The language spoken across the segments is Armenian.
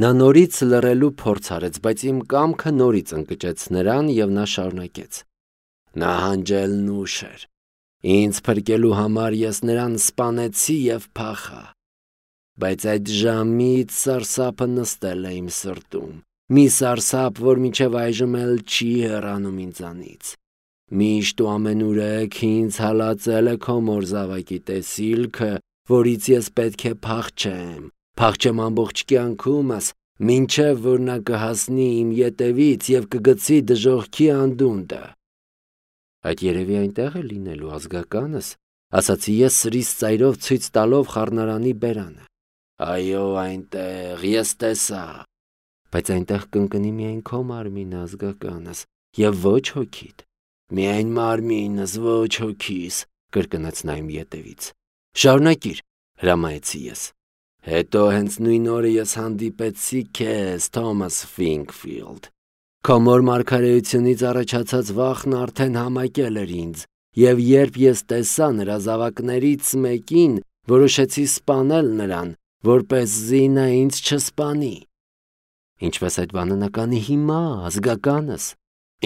Նա նորից լռելու փորձ արեց, բայց իմ կամքը նորից ընկճեց նրան և նա շարունակեց. Նահանջելն ուշ էր. ինձ փրկելու համար ես նրան սպանեցի և փախա, բայց այդ ժամից սարսափը նստել է իմ սրտում, մի սարսափ, որ մինչև այժմ էլ չի հեռանում ինձանից, միշտ ու ամենուրեք ինձ հալածել է քո մոր զավակի տեսիլքը, որից ես պետք է փախչեմ ամբողջ կյանքումս, մինչև որ նա կհասնի իմ ետևից և կգցի դժոխքի անդունդը։ Այդ երևի այնտեղ է լինելու ազգականս, ասացի ես սրիս ծայրով ցույց տալով խառնարանի բերանը։ Այո, այնտեղ, ես տեսա, բայց այնտեղ կընկնի միայն քո մարմինը, ազգականս, և ոչ հոգիդ։ Միայն մարմինս, ոչ հոգիս, կրկնեց նա իմ ետևից։ Շարունակիր, հրամայեցի ես։ Հետո հենց նույն օրը ես հանդիպեցի քեզ, Թոմաս Ֆինքֆիլդ։ Քո մոր մարգարեությունից առաջացած վախն արդեն համակել էր ինձ, և երբ ես տեսա նրա զավակներից մեկին, որոշեցի սպանել նրան, որպեսզի նա ինձ չսպանի։ Ինչպես այդ բանը նա կանի հիմա, ազգականս։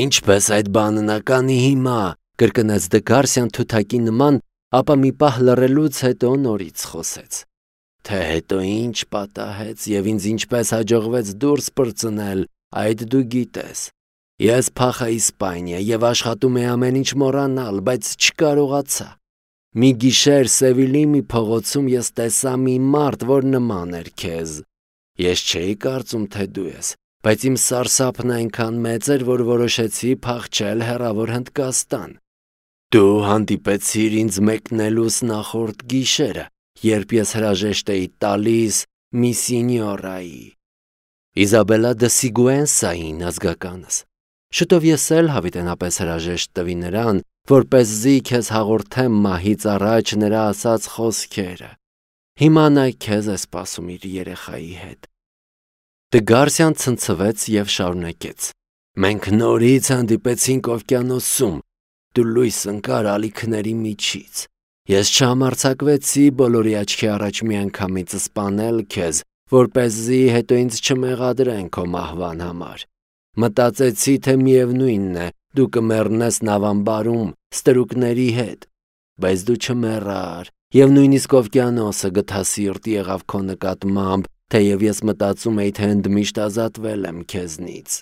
Ինչպես այդ բանը նա կանի հիմա, կրկնեց Դգարսյան թութակի նման, ապա մի պահ լռելուց հետո նորից խոսեց. Թե հետո ինչ պատահեց և ինձ ինչպես հաջողվեց դուրս պրծնել, այդ դու գիտես։ Ես փախա Իսպանիա և աշխատում էի ամեն ինչ մոռանալ, բայց չկարողացա։ Մի գիշեր Սևիլի մի փողոցում ես տեսա մի մարդ, որ նման էր քեզ։ Ես չէի կարծում, թե դու ես, բայց իմ սարսափն այնքան մեծ էր, որ որոշեցի փախչել հեռավոր Հնդկաստան։ Դու հանդիպեցիր ինձ մեկնելուս նախորդ գիշերը, երբ ես հրաժեշտ էի տալիս մի սինյորայի, Իզաբելլա դը Սիգուենսային, ազգականս։ Շուտով ես էլ հավիտենապես հրաժեշտ տվի նրան, որպեսզի քեզ հաղորդեմ մահից առաջ նրա ասած խոսքերը։ Հիմա նա քեզ է սպասում իր երեխայի հետ։ Դգարսյան ցնցվեց և շարունակեց. Մենք նորից հանդիպեցինք օվկիանոսում, դու լույս ընկար ալիքների միջից։ Ես չհամարձակվեցի բոլորի աչքի առաջ միանգամից սպանել քեզ, որպեսզի հետո ինձ չմեղադրեն քո մահվան համար։ Մտածեցի, թե միևնույնն է, դու կմեռնես նավամբարում ստրուկների հետ, բայց դու չմեռար, և նույնիսկ օվկիանոսը գթասիրտ եղավ քո նկատմամբ, թեև ես մտածում էի, թե ընդմիշտ ազատվել եմ քեզնից։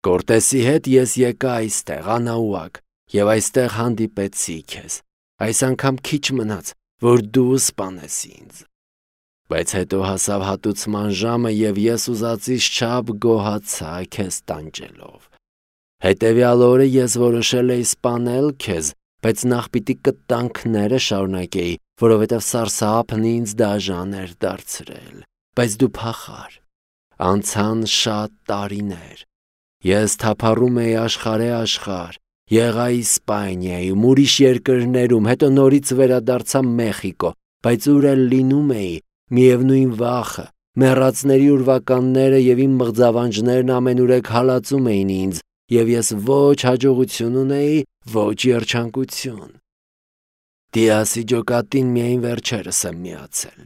Կորտեսի հետ ես եկա այստեղ, Անաուակ, և այստեղ հանդիպեցի քեզ։ Այս անգամ քիչ մնաց, որ դու սպանես ինձ։ Բայց հետո հասավ հատուցման ժամը, և ես ուզածից չափ գոհացա քեզ տանջելով։ Հետևյալ օրը ես որոշել էի սպանել քեզ, բայց նախ պիտի կտանքները շարունակեի, որովհետև սարսափն ինձ դաժան էր դարձրել։ Բայց դու փախար։ Անցան շատ տարիներ։ Ես թափառում էի աշխարհ, եղա Իսպանիայում, ուրիշ երկրներում, հետո նորից վերադարձա Մեխիկո, բայց ուր էլ լինում էի, միևնույն վախը, մեռածների ուրվականները և իմ մղձավանջներն ամենուրեք հալածում էին ինձ, և ես ոչ հաջողություն ունեի, ոչ երջանկություն։ Դիասի ջոկատին միայն վերջերս եմ միացել։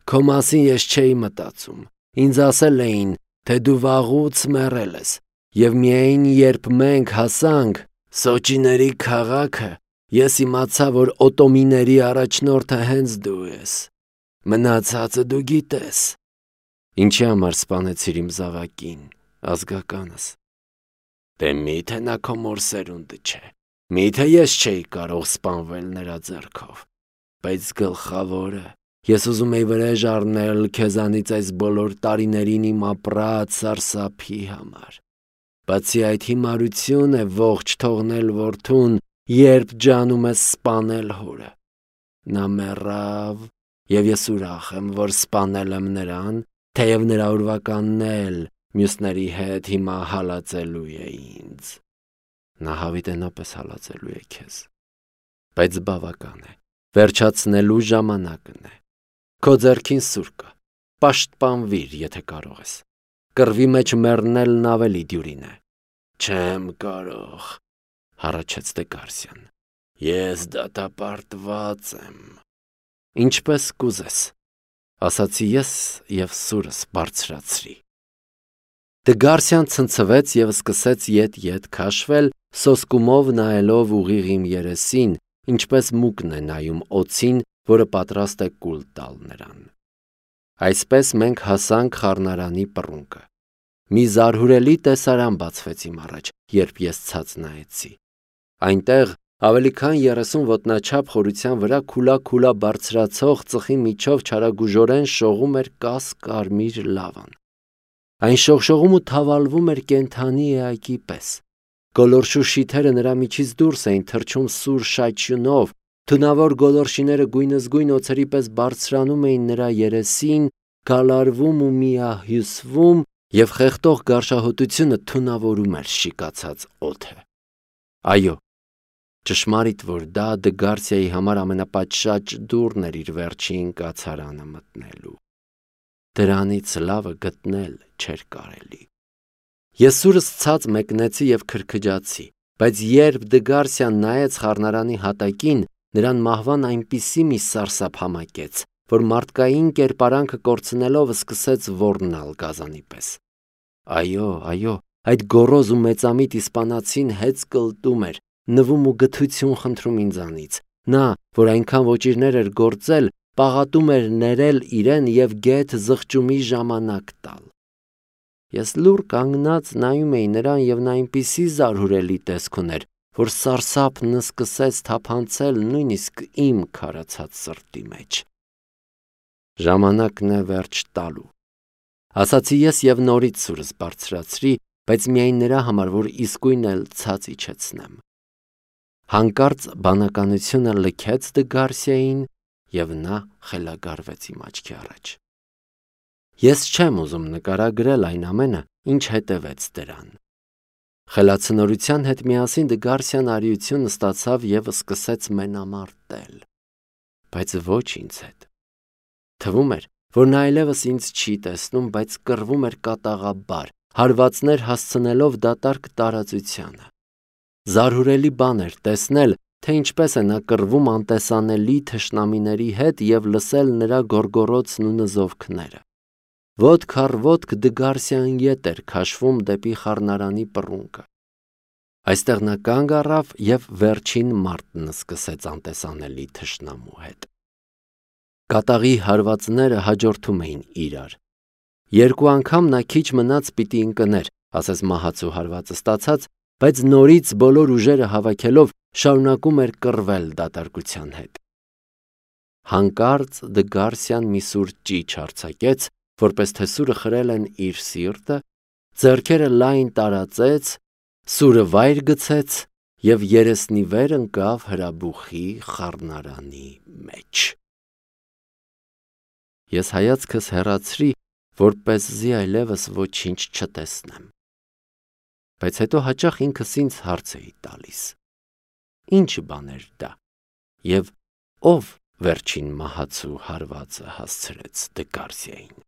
Քո մասին ես չէի մտածում։ Ինձ ասել էին, թե դու վաղուց մեռել ես, և միայն երբ մենք հասանք Սոճիների քաղաքը, ես իմացա, որ օտոմիների առաջնորդը հենց դու ես։ Մնացածը դու գիտես։ Ինչի համար սպանեցիր իմ զավակին, ազգականս։ Դե միթե նա քո մոր սերունդը չէ։ Միթե ես չէի կարող սպանվել նրա ձեռքով։ Բայց գլխավորը, ես ուզում էի վրեժ առնել քեզանից այս բոլոր տարիներին իմ ապրած սարսափի համար։ Բացի այդ հիմարություն է ողջ թողնել որդուն, երբ ջանում ես սպանել հորը։ Նա մեռավ, և ես ուրախ եմ, որ սպանել եմ նրան, թեև նրա ուրվականն էլ մյուսների հետ հիմա հալածելու է ինձ։ Նա հավիտենապես հալածելու է քեզ։ Բայց բավական է, վերջացնելու ժամանակն է։ Քո ձեռքին սուր կա, պաշտպանվիր, եթե կարող ես։ Կռվի մեջ մեռնելն ավելի դյուրին է։ Չեմ կարող, հառաչեց Դգարսյան։ Ես դատապարտված եմ։ Ինչպես կուզես։ ասացի ես և սուրս բարձրացրի։ Դգարսյան ցնցվեց և սկսեց ետ-ետ քաշվել, սոսկումով նայելով ուղիղ իմ երեսին, ինչպես մուկն է նայում օձին, որը պատրաստ է կուլ տալ նրան։ Այսպես մենք հասանք խառնարանի պռունգը։ Մի զարհուրելի տեսարան բացվեց իմ առաջ, երբ ես ցած նայեցի։ Այնտեղ ավելի քան 30 ոտնաչափ խորության վրա քուլա բարձրացող ծխի միջով չարագուժորեն շողում էր կաս-կարմիր լավան։ Այն շողշողում ու թավալվում էր կենդանի էակի պես։ Գոլորշու շիթերը նրա միջից դուրս էին թռչում սուր շաչյունով, թունավոր գոլորշիները գույնզգույն օձերի պես բարձրանում էին նրա երեսին, գալարվում ու միահյուսվում, և խեղդող գարշահոտությունը թունավորում էր շիկացած օդը։ Այո, ճշմարիտ որ դա Դգարսիայի համար ամենապատշաճ դուռն էր իր վերջին կացարանը մտնելու։ Դրանից լավը գտնել չէր կարելի։ Ես սուրս ցած մեկնեցի և քրքջացի, բայց երբ Դգարսյան նայեց խառնարանի հատակին, նրան մահվան այնպիսի մի սարսափ համակեց, որ մարդկային կերպարանքը կորցնելով սկսեց ոռնալ գազանի պես։ Այո, այդ գոռոզ ու մեծամիտ իսպանացին հեծկլտում էր, նվում ու գթություն խնդրում ինձանից։ Նա, որ այնքան ոճիրներ էր գործել, պաղատում էր ներել իրեն և գեթ զղջումի ժամանակ տալ։ Ես լուռ կանգնած նայում էի նրան և նա այնպիսի զարհուրելի տեսք ուներ, որ սարսափն սկսեց թափանցել նույնիսկ իմ քարացած սրտի մեջ։ Ժամանակն է վերջ տալու, ասացի ես և նորից սուրս բարձրացրի, բայց միայն նրա համար, որ իսկույն էլ ցած իջեցնեմ։ Հանկարծ բանականությունը լքեց Դգարսիային և նա խելագարվեց իմ աչքի առաջ։ Ես չեմ ուզում նկարագրել այն ամենը, ինչ հետևեց դրան։ Խելացնորության հետ միասին Դգարսյան արիություն ստացավ և սկսեց մենամարտել, բայց ոչ ինձ հետ։ Թվում էր, որ նա այլևս ինձ չի տեսնում, բայց կռվում էր կատաղաբար, հարվածներ հասցնելով դատարկ տարածությանը։ Զարհուրելի բան էր տեսնել, թե ինչպես է նա կռվում անտեսանելի թշնամիների հետ և լսել նրա գոռգոռոցն ու նզովքները։ Ոտք առ ոտք Դգարսյան ետ էր քաշվում դեպի խառնարանի պռունգը։ Այստեղ նա կանգ առավ և վերջին մարտն սկսեց անտեսանելի թշնամու հետ։ Կատաղի հարվածները հաջորդում էին իրար։ Երկու անգամ նա քիչ մնաց պիտի ընկներ, ասես մահացու հարվածը ստացած, բայց նորից բոլոր ուժերը հավաքելով շարունակում էր կռվել դատարկության հետ։ Հանկարծ Դգարսյան մի սուր ճիչ արձակեց, որպես թե սուրը խրել են իր սիրտը, ձեռքերը լայն տարածեց, սուրը վայր գցեց և երեսնիվեր ընկավ հրաբուխի խառնարանի մեջ։ Ես հայացքս հեռացրի, որպեսզի այլևս ոչինչ չտեսնեմ։ Բայց հետո հաճախ ինքս ինձ հարց էի տալիս. ինչ բան էր դա, և ով վերջին մահացու հարվածը հասցրեց Դգարսիային։